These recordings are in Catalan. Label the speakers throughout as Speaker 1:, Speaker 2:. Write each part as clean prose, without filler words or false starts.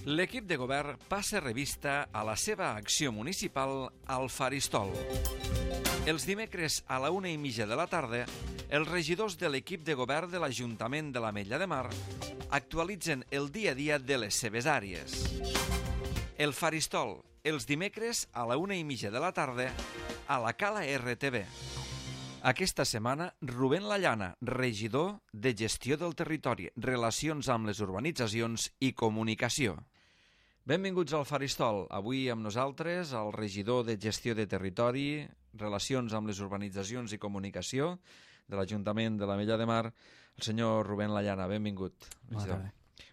Speaker 1: L'equip de govern passa revista a la seva acció municipal al Faristol. Els dimecres a la 1:30 de la tarda, els regidors de l'equip de govern de l'Ajuntament de l'Ametlla de Mar actualitzen el dia a dia de les seves àrees. El Faristol, els dimecres a la 1:30 de la tarda, a la Cala RTV. Aquesta setmana, Rubén Lallana, regidor de Gestió del Territori, Relacions amb les Urbanitzacions i Comunicació. Benvinguts al Faristol. Avui amb nosaltres el regidor de Gestió de Territori, Relacions amb les Urbanitzacions i Comunicació de l'Ajuntament de l'Ametlla de Mar, el senyor Rubén Lallana. Benvingut.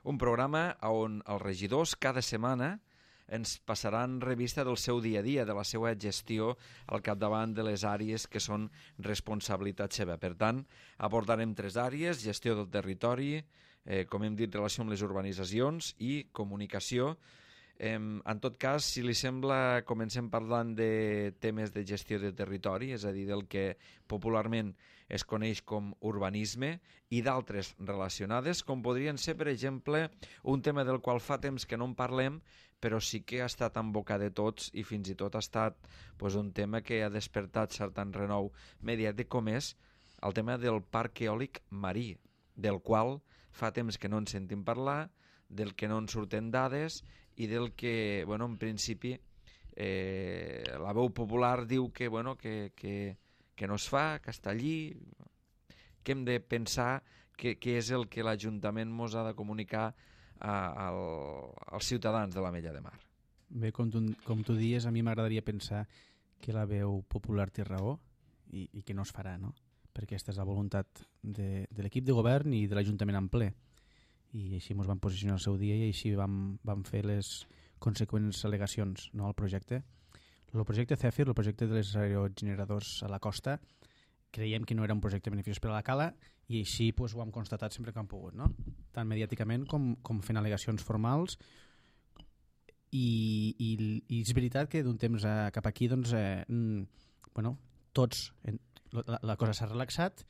Speaker 1: Un programa on els regidors cada setmana ens passaran revista del seu dia a dia, de la seva gestió al capdavant de les àrees que són responsabilitat seva. Per tant, abordarem 3 àrees: gestió del territori, com hem dit, relació amb les urbanitzacions i comunicació. En tot cas, si li sembla, comencem parlant de temes de gestió de territori, és a dir, del que popularment es coneix com urbanisme, i d'altres relacionades, com podrien ser, per exemple, un tema del qual fa temps que no en parlem, però sí que ha estat en boca de tots i fins i tot ha estat un tema que ha despertat cert renou mediàtic, com és el tema del parc eòlic marí, del qual fa temps que no en sentim parlar, del que no en surten dades i del que, en principi, la veu popular diu que no es fa, que està allí, que hem de pensar què és el que l'Ajuntament ens ha de comunicar als ciutadans de l'Ametlla de Mar.
Speaker 2: Bé, com tu dius, a mi m'agradaria pensar que la veu popular té raó i que no es farà, no? Perquè aquesta és la voluntat de l'equip de govern i de l'Ajuntament en ple. I així ens vam posicionar al seu dia i així vam fer les conseqüents al·legacions, no, al projecte. El projecte CEFIR, el projecte de les aerogeneradors a la costa, creiem que no era un projecte beneficiós per a la Cala i així ho hem constatat sempre que hem pogut, no? Tant mediàticament com fent al·legacions formals. I és veritat que d'un temps cap aquí tots la cosa s'ha relaxat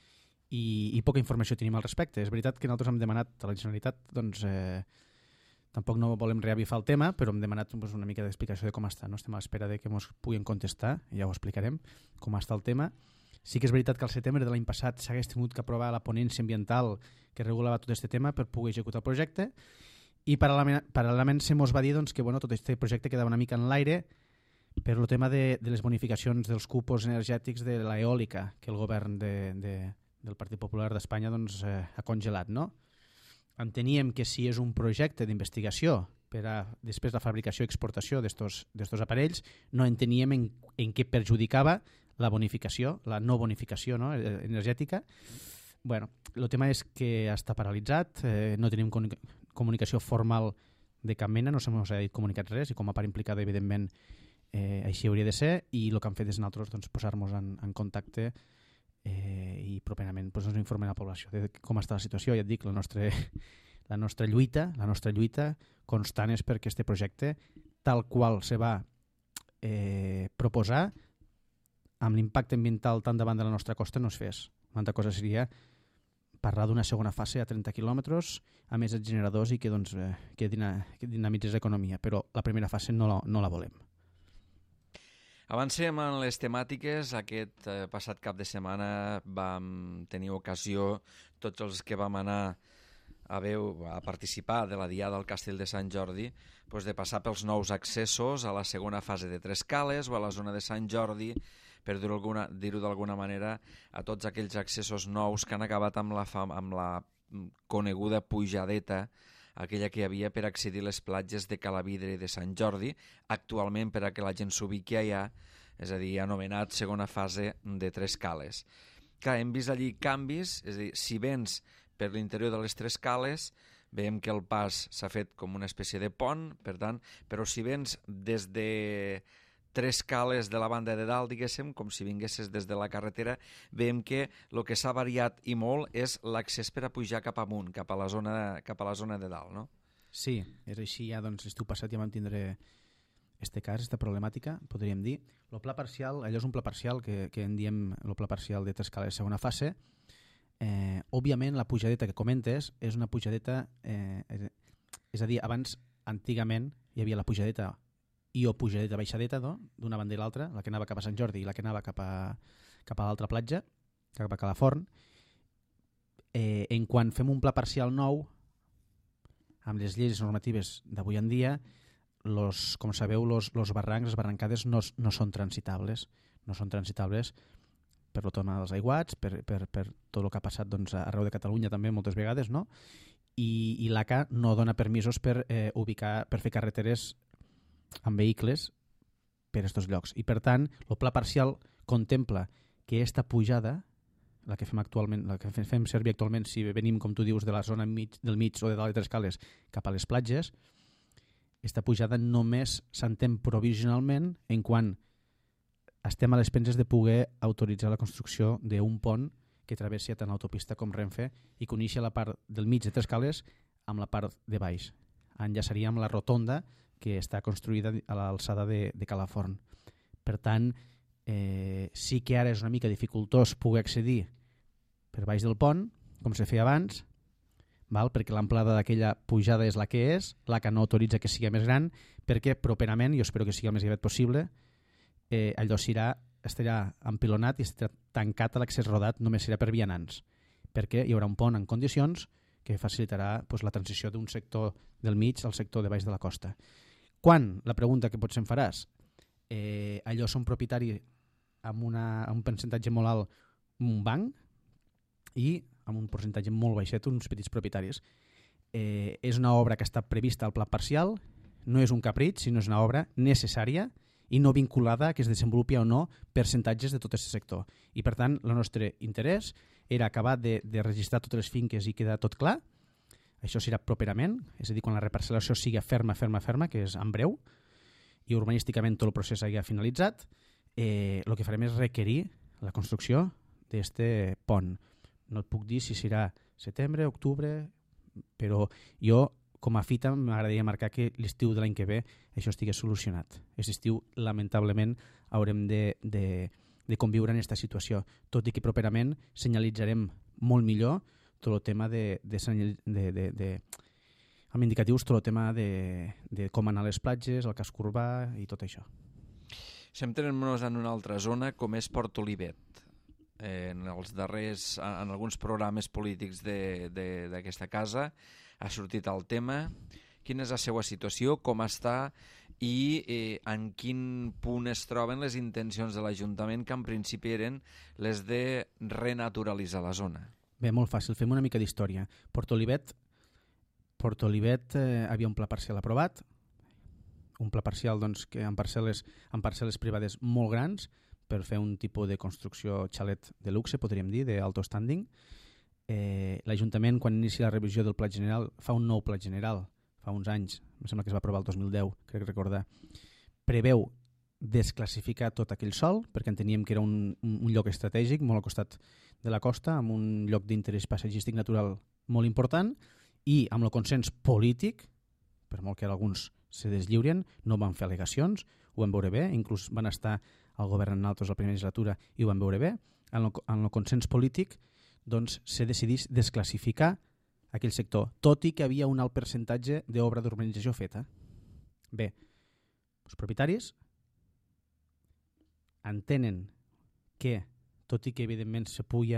Speaker 2: i poca informació tenim al respecte. És veritat que nosaltres hem demanat a la Generalitat, tampoc no volem reavifar el tema, però hem demanat una mica d'explicació de com està. No? Estem a l'espera de que ens puguin contestar, ja ho explicarem, com està el tema. Sí que és veritat que al setembre de l'any passat s'hagués tingut que aprovar la ponència ambiental que regulava tot aquest tema per poder executar el projecte, i paral·lelament se mos va dir que tot aquest projecte quedava una mica en l'aire per el tema de les bonificacions dels cupos energètics de l'eòlica que el govern del Partit Popular d'Espanya ha congelat, no? Enteníem que si és un projecte d'investigació per a després la fabricació i exportació d'estos aparells, no enteníem en què perjudicava la bonificació, la no bonificació, no, energètica. El tema és que està paralitzat, no tenim comunicació formal de cap mena, no se mos ha dit comunicat res, i com a part implicada, evidentment, així hauria de ser, i el que han fet és nosaltres posar-nos en contacte i properament ens informen a la població de com està la situació. Ja et dic, la nostra lluita constant és perquè aquest projecte, tal qual se va proposar, amb l'impacte ambiental tan davant de la nostra costa, no es fes. Una altra cosa seria parlar d'una segona fase a 30 quilòmetres, a més els generadors, i que dinamitzés l'economia, però la primera fase no la volem.
Speaker 1: Avancem en les temàtiques. Aquest passat cap de setmana vam tenir ocasió, tots els que vam anar a participar de la Diada al Castell de Sant Jordi, de passar pels nous accessos a la segona fase de Tres Cales o a la zona de Sant Jordi, per dir-ho d'alguna manera, a tots aquells accessos nous que han acabat amb la coneguda pujadeta, aquella que hi havia per accedir a les platges de Calavidre i de Sant Jordi, actualment, per a que la gent s'ubiqui allà, és a dir, anomenat segona fase de Tres Cales. Clar, hem vist allí canvis, és a dir, si vens per l'interior de les Tres Cales, veiem que el pas s'ha fet com una espècie de pont, per tant, però si vens des de Tres Cales de la banda de dalt, diguéssim, com si vinguessis des de la carretera, veiem que el que s'ha variat i molt és l'accés per a pujar cap amunt, cap a la zona de dalt, no?
Speaker 2: Sí, és així. Ja l'estiu passat ja vam tindre aquesta problemàtica, podríem dir. El pla parcial, allò és un pla parcial que en diem el pla parcial de Tres Cales segona fase. Òbviament la pujadeta que comentes és una pujadeta, és a dir, abans antigament hi havia la pujadeta i o pujadeta baixadeta, no? D'una banda i l'altra, la que anava cap a Sant Jordi i la que anava cap a l'altra platja, cap a Calaforn. En quan fem un pla parcial nou, amb les lleis normatives d'avui en dia, com sabeu, los barrancs, les barrancades no són transitables. No són transitables per el tema dels aiguats, per tot el que ha passat doncs, arreu de Catalunya també moltes vegades, no? I l'ACA no dona permisos per fer carreteres amb vehicles per aquests llocs. I per tant, el pla parcial contempla que aquesta pujada, la que fem servir actualment si venim, com tu dius, de la zona del mig o de dalt de Tres Cales cap a les platges, aquesta pujada només s'entén provisionalment en quan estem a les penses de poder autoritzar la construcció d'un pont que travessi tant l'autopista com Renfe i que uneixi la part del mig de Tres Cales amb la part de baix. Enllaçaria amb la rotonda que està construïda a l'alçada de Calaforn. Per tant, sí que ara és una mica dificultós poder accedir per baix del pont, com se feia abans, perquè l'amplada d'aquella pujada és la que és, la que no autoritza que sigui més gran, perquè properament, jo espero que sigui el més aviat possible, allò estarà empilonat i estarà tancat a l'accés rodat, només serà per vianants, perquè hi haurà un pont en condicions que facilitarà la transició d'un sector del mig al sector de baix de la costa. Quan? La pregunta que potser em faràs. Allò són propietari amb un percentatge molt alt un banc i amb un percentatge molt baixet uns petits propietaris. És una obra que està prevista al pla parcial, no és un capritx, sinó és una obra necessària i no vinculada a que es desenvolupi o no percentatges de tot aquest sector. I per tant, el nostre interès era acabar de registrar totes les finques i quedar tot clar. Això serà properament, és a dir, quan la reparcel·lació sigui ferma, que és en breu, i urbanísticament tot el procés hagi finalitzat, el que farem és requerir la construcció d'aquest pont. No et puc dir si serà setembre, octubre, però jo, com a fita, m'agradaria marcar que l'estiu de l'any que ve això estigui solucionat. Aquest estiu, lamentablement, haurem de conviure en aquesta situació, tot i que properament senyalitzarem molt millor tot el tema amb indicatius, tot el tema de com anar a les platges, el casc urbà i tot això.
Speaker 1: Centrem-nos en una altra zona, com és Port Olivet. En alguns programes polítics d'aquesta casa ha sortit el tema. Quina és la seva situació, com està i en quin punt es troben les intencions de l'Ajuntament, que en principi eren les de renaturalitzar la zona?
Speaker 2: Bé, molt fàcil, fem una mica d'història. Port Olivet havia un pla parcial aprovat, un pla parcial doncs, que en parcel·les privades molt grans per fer un tipus de construcció xalet de luxe, podríem dir, d'alto standing. L'Ajuntament, quan inicia la revisió del Pla General, fa un nou Pla General, fa uns anys, em sembla que es va aprovar el 2010, crec recordar, preveu desclassificar tot aquell sòl, perquè enteníem que era un lloc estratègic, molt al costat de la costa, amb un lloc d'interès paisatgístic natural molt important, i amb el consens polític, per molt que alguns se deslliurien, no van fer al·legacions, ho vam veure bé, inclús van estar al govern en altres la primera legislatura i ho vam veure bé, en el consens polític doncs se decidís desclassificar aquell sector, tot i que havia un alt percentatge d'obra d'urbanització feta. Bé, els propietaris entenen que, tot i que evidentment se pugui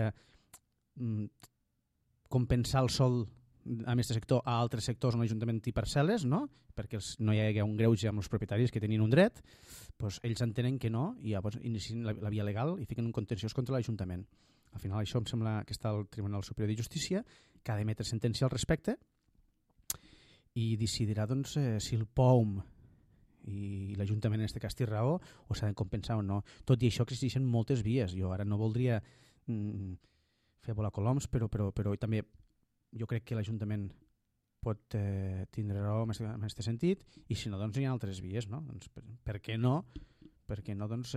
Speaker 2: compensar el sòl amb aquest sector a altres sectors on l'Ajuntament té parcel·les, no? Perquè no hi ha un greuge amb els propietaris que tenien un dret, doncs ells entenen que no i llavors inicien la via legal i fiquen un contenciós contra l'Ajuntament. Al final això em sembla que està al Tribunal Superior de Justícia, que ha d'emetre sentència al respecte i decidirà doncs, si el POUM i l'Ajuntament en aquest cas té raó o s'ha de compensar o no. Tot i això existeixen moltes vies. Jo ara no voldria fer volar coloms, però també jo crec que l'Ajuntament pot tindre raó en aquest sentit i si no, doncs hi ha altres vies, no? Doncs, per què no? Perquè no, doncs,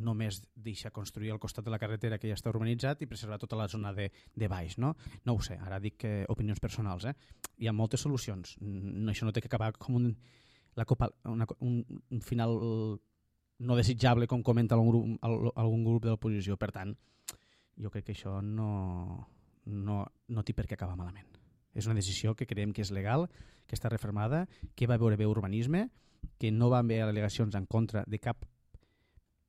Speaker 2: només deixar construir al costat de la carretera que ja està urbanitzat i preservar tota la zona de baix, no? No ho sé, ara dic opinions personals. Hi ha moltes solucions. Això no té que acabar com un final no desitjable, com comenta algun grup de l'oposició. Per tant, jo crec que això no té per què acabar malament. És una decisió que creiem que és legal, que està refermada, que va veure bé urbanisme, que no van haver al·legacions en contra de cap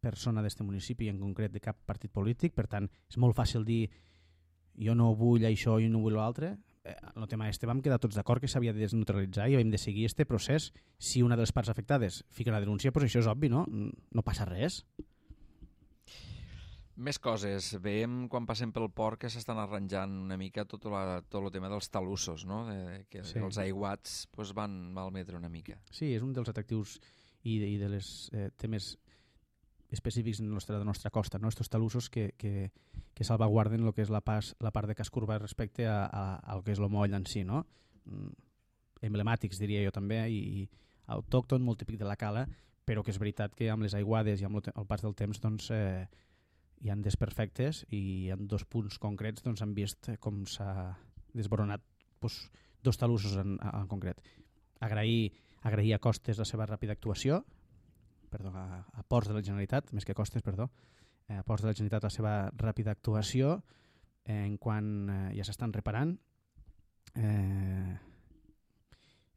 Speaker 2: persona d'aquest municipi, en concret de cap partit polític. Per tant, és molt fàcil dir jo no vull això, jo no vull l'altre. En el tema vam quedar tots d'acord que s'havia de desneutralitzar i hem de seguir aquest procés. Si una de les parts afectades fica una denúncia, doncs això és obvi, no? No passa res.
Speaker 1: Més coses. Veiem quan passem pel port que s'estan arranjant una mica tot el tema dels talussos, no? Que sí. Els aiguats van malmetre una mica.
Speaker 2: Sí, és un dels atractius i dels temes específics de la nostra costa, no? Estos talussos que salvaguarden el que és la part de casc urbà respecte al que és el moll en si, no? Emblemàtics, diria jo també, i autòcton, molt típic de la cala, però que és veritat que amb les aiguades i amb el pas del temps doncs, hi ha desperfectes i en 2 punts concrets doncs, han vist com s'ha desboronat dos talussos en concret. Agrair a Costes la seva ràpida actuació, a Ports de la Generalitat, més que Costes, a Ports de la Generalitat la seva ràpida actuació en quan ja s'estan reparant.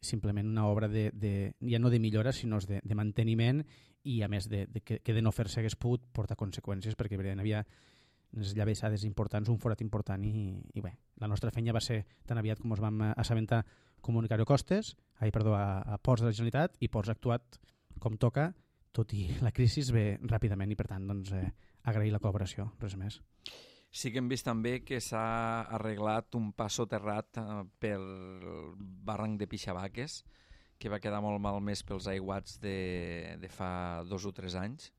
Speaker 2: Simplement una obra ja no de millora, sinó de manteniment, i a més que de no fer-se hagués pogut portar conseqüències, perquè hi havia unes llavessades importants, un forat important, i bé, la nostra feina va ser tan aviat com ens vam assabentar comunicar-ho a Ports de la Generalitat, i Ports ha actuat com toca, tot i la crisi ve ràpidament, i per tant doncs, agrair la col·laboració, res més.
Speaker 1: Sí que hem vist també que s'ha arreglat un pas soterrat pel barranc de Pixabaques, que va quedar molt malmès pels aiguats de fa 2 o 3 anys.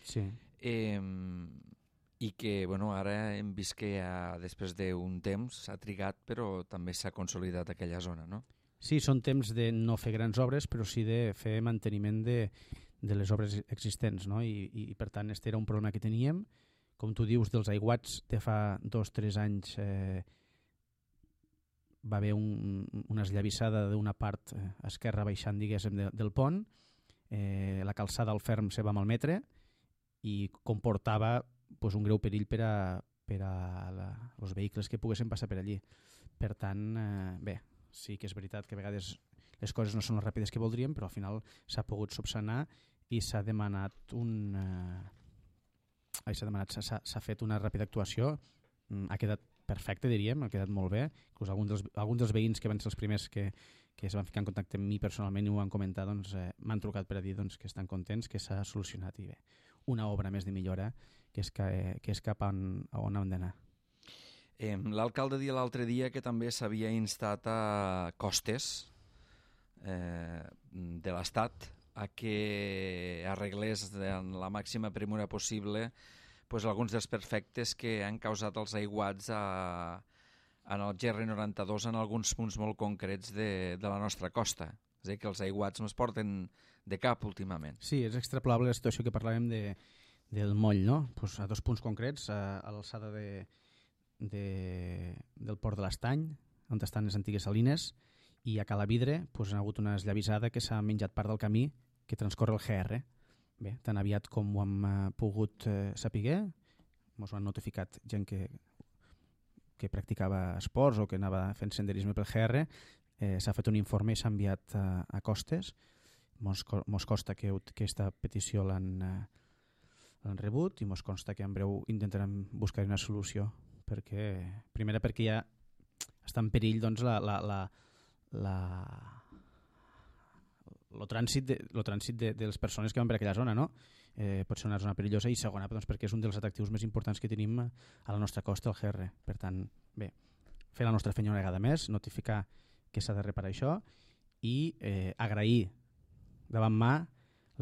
Speaker 2: Sí.
Speaker 1: I que ara hem vist que després d'un temps s'ha trigat, però també s'ha consolidat aquella zona, no?
Speaker 2: Sí, són temps de no fer grans obres, però sí de fer manteniment de les obres existents, no? I per tant, este era un problema que teníem. Com tu dius, dels aiguats de fa 2 o 3 anys va haver una esllavissada d'una part esquerra baixant, diguéssim, del pont. La calçada al ferm se va malmetre i comportava un greu perill per a els vehicles que poguessin passar per allí. Per tant, bé, sí que és veritat que a vegades les coses no són les ràpides que voldríem, però al final s'ha pogut subsanar i s'ha fet una ràpida actuació. Ha quedat perfecte, diríem, ha quedat molt bé. Inclús alguns dels veïns que van ser els primers que es van ficar en contacte amb mi personalment i ho van comentar, doncs, m'han trucat per a dir que estan contents, que s'ha solucionat, i bé, una obra més de millora que és cap a on hem d'anar.
Speaker 1: L'alcalde deia l'altre dia que també s'havia instat a Costes de l'Estat a que arreglés en la màxima premura possible alguns dels perfectes que han causat els aiguats en el GR92 en alguns punts molt concrets de la nostra costa. És a dir, que els aiguats no es porten de cap últimament.
Speaker 2: Sí, és extrapolable la situació que parlàvem del moll, no? A 2 punts concrets, a l'alçada del port de l'Estany, on estan les antigues salines, i a Calavidre hi ha hagut una esllavissada que s'ha menjat part del camí que transcorre el GR. Bé, tan aviat com ho hem pogut saber, ens ho han notificat gent que practicava esports o que anava fent senderisme pel GR, s'ha fet un informe i s'ha enviat a Costes. Mos consta que aquesta petició l'han rebut i mos consta que en breu intentarem buscar una solució. Primera perquè ja està en perill doncs, el trànsit de les persones que van per aquella zona, no? Pot ser una zona perillosa, i segona doncs, perquè és un dels atractius més importants que tenim a la nostra costa, el GR. Per tant, bé, fer la nostra feina una vegada més, notificar que s'ha de reparar això i agrair davant mà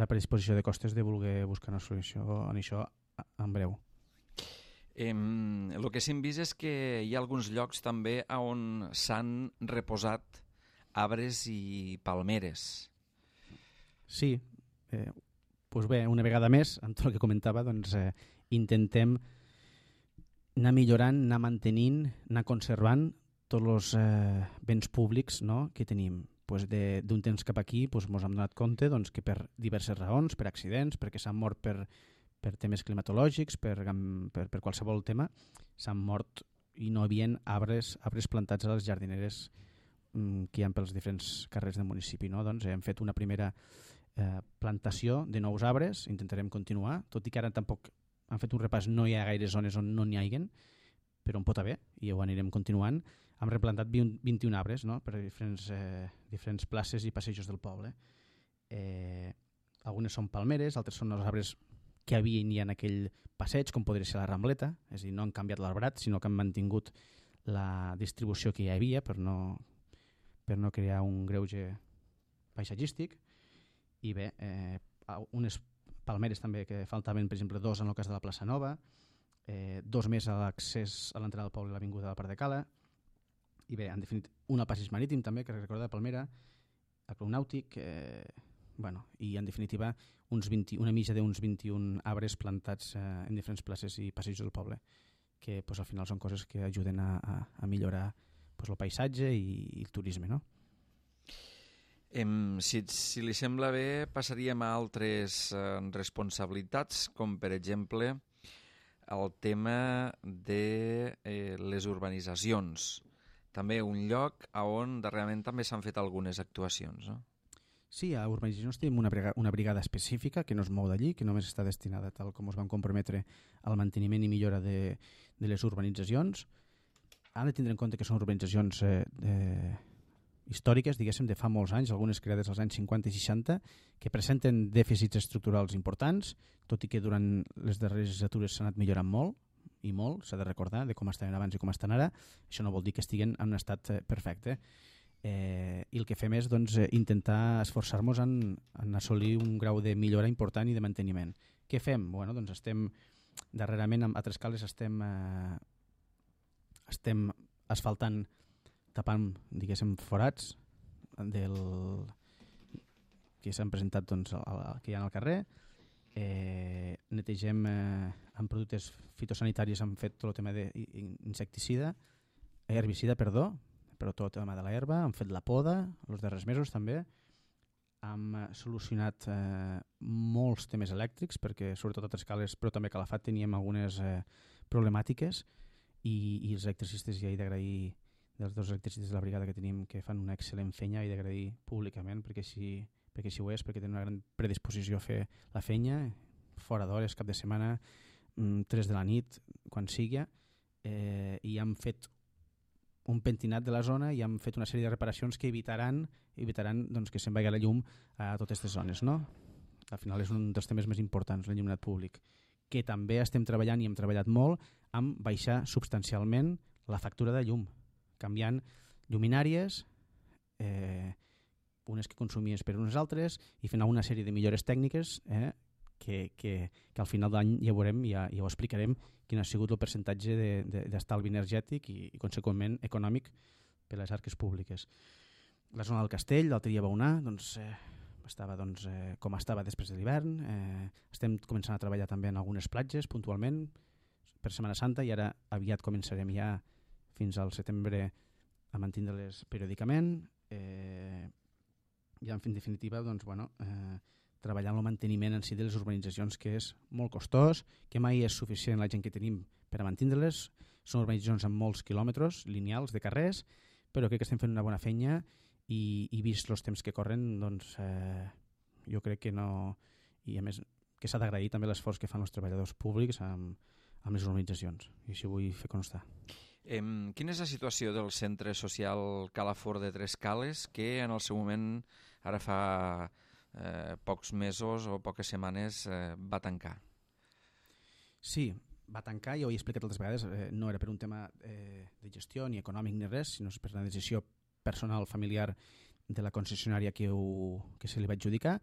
Speaker 2: la predisposició de Costes de voler buscar una solució en això en breu.
Speaker 1: El que hem vist és que hi ha alguns llocs també on s'han reposat arbres i palmeres.
Speaker 2: Sí, doncs bé, una vegada més, amb tot el que comentava, doncs, intentem anar millorant, anar mantenint, anar conservant tots els béns públics, no?, que tenim. D'un temps cap aquí ens hem donat compte que per diverses raons, per accidents, perquè s'han mort per temes climatològics, per qualsevol tema, s'han mort i no hi havia arbres plantats a les jardineres que hi ha pels diferents carrers del municipi. No? Doncs hem fet una primera plantació de nous arbres, intentarem continuar, tot i que ara tampoc han fet un repàs, no hi ha gaire zones on no n'hi hagin, però on pot haver, i ho anirem continuant. Hem replantat 21 arbres, no? Per diferents places i passejos del poble. Algunes són palmeres, altres són els arbres que havien ja en aquell passeig, com podria ser la Rambleta, és a dir, no han canviat l'arbrat, sinó que han mantingut la distribució que hi havia per no crear un greuge paisatgístic. I bé, unes palmeres també que faltaven, per exemple, 2 en el cas de la plaça Nova, 2 més a l'accés a l'entrada del poble i l'avinguda de la part de Cala, i bé, en definitiva, un al passeig marítim també, que recorda de Palmera, el Club Nàutic, i en definitiva una mitja d'uns 21 arbres plantats en diferents places i passejos del poble, que al final són coses que ajuden a millorar el paisatge i el turisme. No?
Speaker 1: Si li sembla bé, passaríem a altres responsabilitats, com per exemple el tema de les urbanitzacions. També un lloc on darrerament també s'han fet algunes actuacions, no?
Speaker 2: Sí, a urbanitzacions tenim una brigada específica que no es mou d'allí, que només està destinada, tal com es van comprometre, al manteniment i millora de les urbanitzacions. Han de tindre en compte que són urbanitzacions històriques, diguéssim, de fa molts anys, algunes creades als anys 50 i 60, que presenten dèficits estructurals importants, tot i que durant les darreres legislatures s'ha anat millorant molt, i molt, s'ha de recordar, de com estaven abans i com estan ara. Això no vol dir que estiguen en un estat perfecte. I el que fem és intentar esforçar-nos en assolir un grau de millora important i de manteniment. Què fem? Bueno, doncs darrerament a Trescales estem asfaltant, tapant, diguéssim, forats que s'han presentat que hi ha al carrer. Netegem amb productes fitosanitaris, hem fet tot el tema herbicida, però tot el tema de l'herba, hem fet la poda els darrers mesos també, hem solucionat molts temes elèctrics, perquè sobretot a Trescales, però també a Calafat teníem algunes problemàtiques, i els electricistes, ja he d'agrair, dels 2 electricistes de la brigada que tenim, que fan una excel·lent feina, he d'agrair públicament, perquè així ho és, perquè tenen una gran predisposició a fer la feina, fora d'hores, cap de setmana, 3 de la nit, quan sigui, i hem fet un pentinat de la zona i hem fet una sèrie de reparacions que evitaran que se'n vagi la llum a totes aquestes zones. No? Al final és un dels temes més importants, l'enllumenat públic, que també estem treballant i hem treballat molt amb baixar substancialment la factura de llum, canviant lluminàries, unes que consumies per unes altres, i fent una sèrie de millores tècniques que al final d'any ja veurem, ja ho explicarem, quin ha sigut el percentatge d'estalvi energètic i conseqüentment econòmic per a les arques públiques. La zona del Castell, l'altre dia va anar, estava com estava després de l'hivern. Estem començant a treballar també en algunes platges puntualment per Setmana Santa, i ara aviat començarem ja fins al setembre a mantenir-les periòdicament. I en definitiva treballar en el manteniment en si de les urbanitzacions, que és molt costós, que mai és suficient la gent que tenim per a mantenir-les. Són urbanitzacions amb molts quilòmetres lineals de carrers, però crec que estem fent una bona feina, i vist els temps que corren, jo crec que no, i a més que s'ha d'agrair també l'esforç que fan els treballadors públics amb les urbanitzacions, i així ho vull fer constar.
Speaker 1: Quina és la situació del centre social Calafort de Trescales, que en el seu moment, ara fa pocs mesos o poques setmanes, va tancar?
Speaker 2: Sí, va tancar, ja ho he explicat altres vegades, no era per un tema de gestió ni econòmic ni res, sinó per una decisió personal, familiar de la concessionària que se li va adjudicar.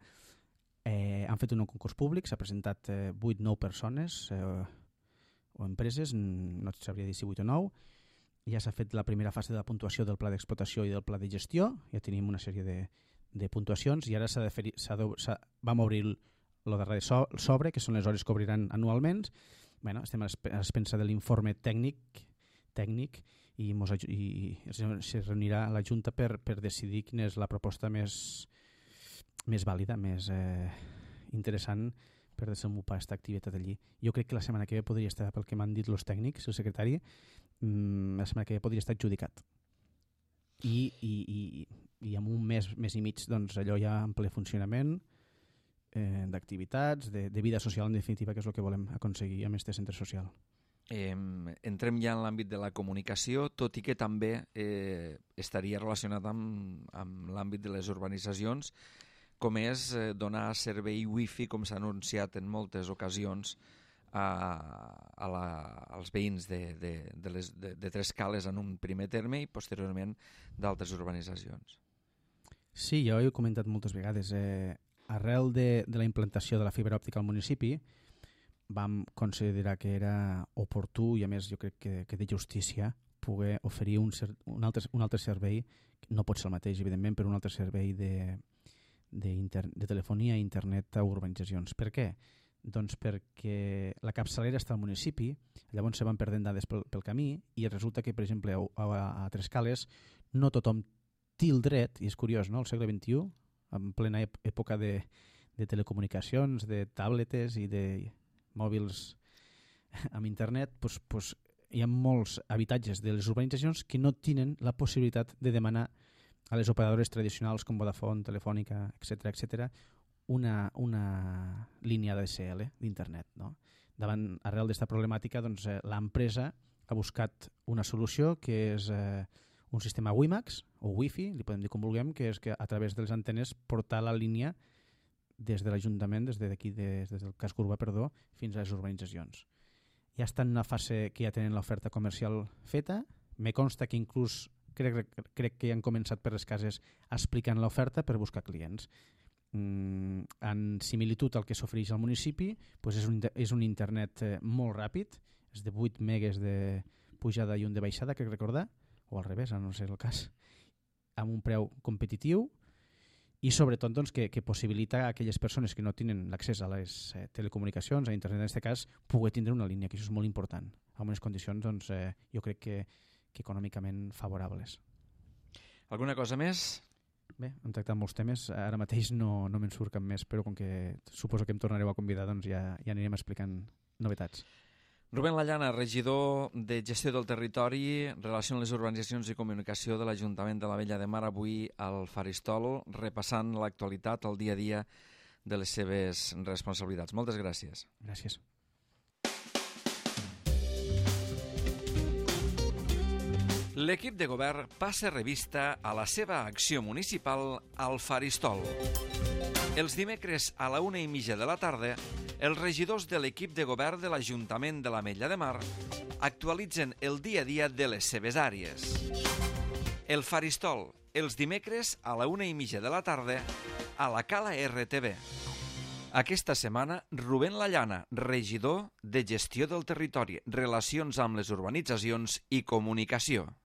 Speaker 2: Han fet un concurs públic, s'ha presentat 8-9 persones o empreses, no et sabria dir si 8 o 9, ja s'ha fet la primera fase de la puntuació del pla d'explotació i del pla de gestió, ja tenim una sèrie de puntuacions, i ara vam obrir el darrer sobre, que són les hores que obriran anualment. Estem a l'expensa de l'informe tècnic, i se reunirà la Junta per decidir quina és la proposta més vàlida, més interessant per desenvolupar aquesta activitat allí. Jo crec que la setmana que ve podria estar, pel que m'han dit els tècnics, el secretari, la setmana que ve podria estar adjudicat. i en un mes i mig doncs, allò ja en ple funcionament, d'activitats, de vida social en definitiva, que és el que volem aconseguir amb aquest centre social.
Speaker 1: Entrem ja en l'àmbit de la comunicació, tot i que també estaria relacionat amb l'àmbit de les urbanitzacions, com és donar servei wifi, com s'ha anunciat en moltes ocasions, als veïns de Tres Cales en un primer terme i posteriorment d'altres urbanitzacions.
Speaker 2: Sí, jo ho he comentat moltes vegades. Arrel de la implantació de la fibra òptica al municipi vam considerar que era oportú i a més jo crec que de justícia poder oferir un altre servei, no pot ser el mateix evidentment, però un altre servei de telefonia i internet a urbanitzacions. Per què? Doncs perquè la capçalera està al municipi, llavors se van perdent dades pel camí i resulta que, per exemple, a Tres Cales no tothom té el dret, i és curiós, no?, al segle XXI, en plena època de telecomunicacions, de tabletes i de mòbils amb internet, doncs hi ha molts habitatges de les urbanitzacions que no tenen la possibilitat de demanar a les operadores tradicionals com Vodafone, Telefònica, etc., una línia DSL d'internet. No? Arrel d'esta problemàtica, doncs, l'empresa ha buscat una solució que és un sistema WiMAX o Wi-Fi, li podem dir com vulguem, que és que a través de les antenes portar la línia des de l'Ajuntament, des del casc urbà, fins a les urbanitzacions. Ja estan en una fase que ja tenen l'oferta comercial feta, me consta que inclús crec que han començat per les cases explicant l'oferta per buscar clients. En similitud al que s'ofereix al municipi, és un internet molt ràpid, és de 8 megues de pujada i un de baixada, crec recordar, o al revés, no sé el cas, amb un preu competitiu i sobretot doncs, que possibilita a aquelles persones que no tenen l'accés a les telecomunicacions, a internet en aquest cas, poder tindre una línia, que això és molt important, amb unes condicions doncs, jo crec que econòmicament favorables.
Speaker 1: Alguna cosa més?
Speaker 2: Bé, hem tractat molts temes, ara mateix no me'n surt cap més, però com que suposo que em tornareu a convidar, doncs ja anirem explicant novetats.
Speaker 1: Rubén Lallana, regidor de Gestió del Territori, Relació amb les Urbanitzacions i Comunicació de l'Ajuntament de la Vella de Mar, avui al Faristol, repassant l'actualitat, el dia a dia de les seves responsabilitats. Moltes gràcies.
Speaker 2: Gràcies.
Speaker 1: L'equip de govern passa revista a la seva acció municipal al Faristol. Els dimecres a la 1:30 de la tarda, els regidors de l'equip de govern de l'Ajuntament de l'Ametlla de Mar actualitzen el dia a dia de les seves àrees. El Faristol, els dimecres a la 1:30 de la tarda, a la Cala RTV. Aquesta setmana, Rubén Lallana, regidor de Gestió del Territori, Relacions amb les Urbanitzacions i Comunicació.